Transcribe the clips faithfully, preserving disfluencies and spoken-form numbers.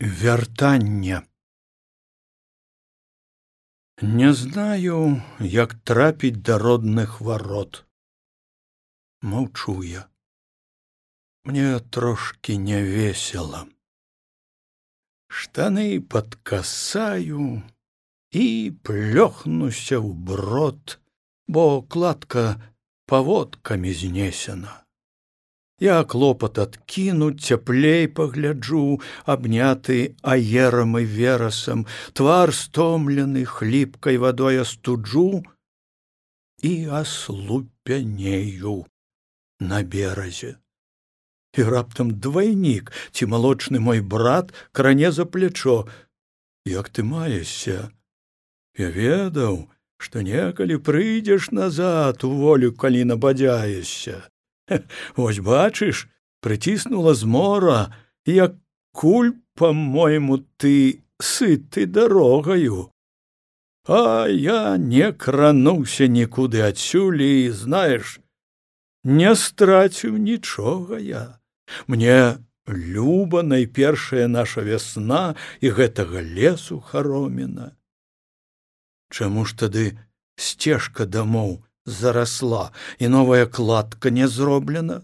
Вяртанне. Не знаю, як трапіць да родных варот. Маўчу я. Мне трошки не весела. Штаны падкасаю і плёхнуся ў брод, бо кладка паводкамі знесена. Я клопат адкінуць, цяплей пагляджу, абняты аерам і верасам, твар стомлены хліпкай вадой астуджу і аслупянею на беразе. І раптам двайнік, ці малочны мой брат, кране за плячо: «Як ты маешся? Я ведаў, што некалі прыйдзеш назад у волю, калі набадзяешся. Вось бачыш, прыціснула змора, як куль, па-мойму, ты сыты дарогаю. А я не крануўся нікуды адсюль і, знаеш, не страціў нічога я. Мне люба найпершая наша вясна і гэтага лесу хароміна. Чаму ж тады сцежка дамоў зарасла, і новая кладка не зроблена?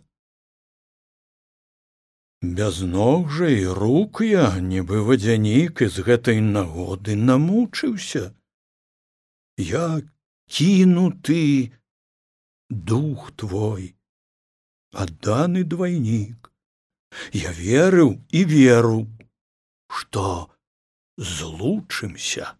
Без ног жа і рук я, нібы вадзянік, і з гэтай нагоды намучыўся. Я кінуты, дух твой, адданы двайнік. Я верыў і веру, што злучымся.